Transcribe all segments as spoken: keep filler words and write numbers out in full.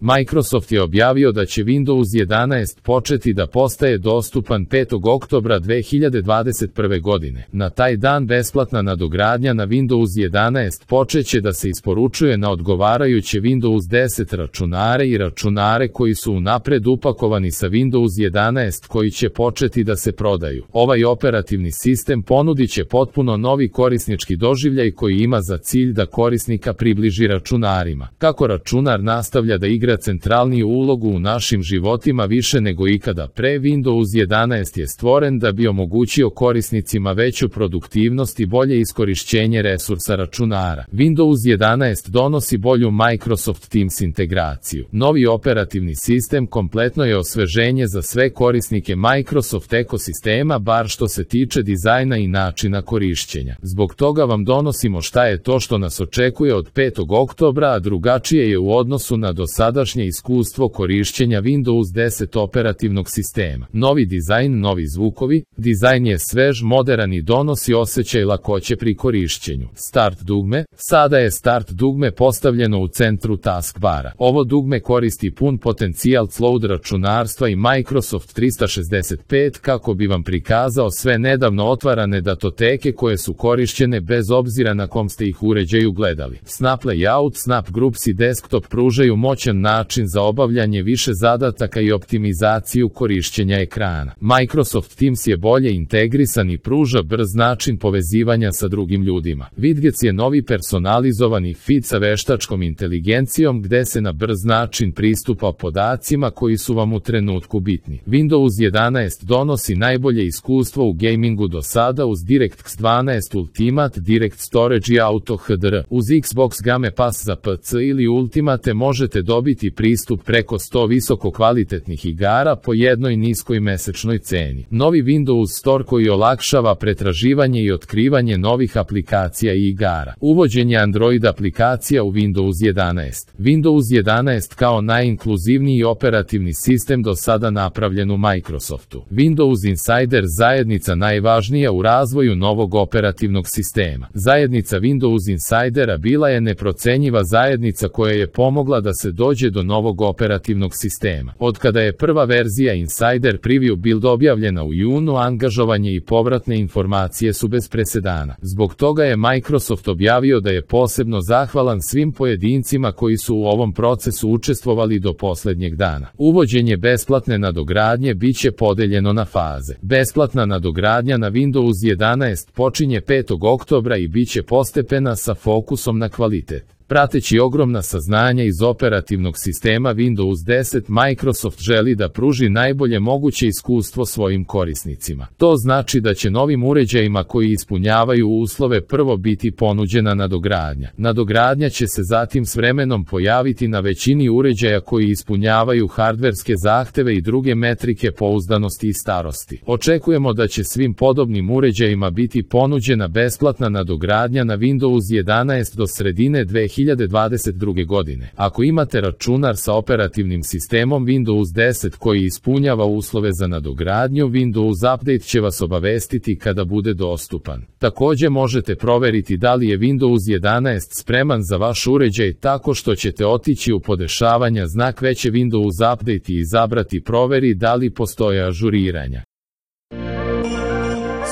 Microsoft je objavio da će Windows jedanaest početi da postaje dostupan petog oktobra dve hiljade dvadeset prve. godine. Na taj dan besplatna nadogradnja na Windows jedanaest počeće da se isporučuje na odgovarajuće Windows deset računare i računare koji su unapred upakovani sa Windows jedanaest koji će početi da se prodaju. Ovaj operativni sistem ponudit će potpuno novi korisnički doživljaj koji ima za cilj da korisnika približi računarima. Kako računar nastavlja da igra centralniju ulogu u našim životima više nego ikada pre, Windows jedanaest je stvoren da bi omogućio korisnicima veću produktivnost i bolje iskorišćenje resursa računara. Windows jedanaest donosi bolju Microsoft Teams integraciju. Novi operativni sistem kompletno je osveženje za sve korisnike Microsoft ekosistema, bar što se tiče dizajna i načina korišćenja. Zbog toga vam donosimo šta je to što nas očekuje od petog oktobra, a drugačije je u odnosu na dosadašnje iskustvo korišćenja Windows deset operativnog sistema. Novi dizajn, novi zvukovi, dizajn je svež, moderan i donosi osjećaj lakoće pri korišćenju. Start dugme, sada je Start dugme postavljeno u centru taskbara. Ovo dugme koristi pun potencijal cloud računarstva i Microsoft trista šezdeset pet kako bi vam prikazao sve nedavno otvarane datoteke koje su korišćene bez obzira na kom ste ih uređaju gledali. Snap Layout, Snap Groups i Desktop pružaju moćan način za obavljanje više zadataka i optimizaciju korišćenja ekrana. Microsoft Teams je bolje integrisan i pruža brz način povezivanja sa drugim ljudima. Vidgets je novi personalizovani feed sa veštačkom inteligencijom gde se na brz način pristupa podacima koji su vam u trenutku bitni. Windows jedanaest donosi najbolje iskustvo u gamingu do sada uz DirectX dvanaest Ultimate, Direct Storage i Auto H D R. Uz Xbox Game Pass za P C ili Ultimate možete dobiti pristup preko sto visoko kvalitetnih igara po jednoj niskoj mesečnoj ceni. Novi Windows Store koji olakšava pretraživanje i otkrivanje novih aplikacija i igara. Uvođenje Android aplikacija u Windows jedanaest. Windows jedanaest kao najinkluzivniji operativni sistem do sada napravljen u Microsoftu. Windows Insider zajednica najvažnija u razvoju novog operativnog sistema. Zajednica Windows Insidera bila je neprocenjiva zajednica koja je pomogla da se dođe do novog operativnog sistema. Od kada je prva verzija Insider Preview Build objavljena u junu, angažovanje i povratne informacije su bez presedana. Zbog toga je Microsoft objavio da je posebno zahvalan svim pojedincima koji su u ovom procesu učestvovali do poslednjeg dana. Uvođenje besplatne nadogradnje biće podeljeno na faze. Besplatna nadogradnja na Windows jedanaest počinje petog oktobra i biće postepena sa fokusom na kvalitet. Prateći ogromna saznanja iz operativnog sistema Windows deset, Microsoft želi da pruži najbolje moguće iskustvo svojim korisnicima. To znači da će novim uređajima koji ispunjavaju uslove prvo biti ponuđena nadogradnja. Nadogradnja će se zatim s vremenom pojaviti na većini uređaja koji ispunjavaju hardverske zahteve i druge metrike pouzdanosti i starosti. Očekujemo da će svim podobnim uređajima biti ponuđena besplatna nadogradnja na Windows jedanaest do sredine dve hiljade dvadeset druge. godine. Ako imate računar sa operativnim sistemom Windows deset koji ispunjava uslove za nadogradnju, Windows Update će vas obavestiti kada bude dostupan. Takođe možete proveriti da li je Windows jedanaest spreman za vaš uređaj tako što ćete otići u podešavanja znak veće Windows Update i izabrati proveri da li postoje ažuriranja.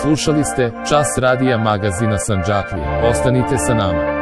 Slušali ste Čas radija magazina Sandžaklije. Ostanite sa nama.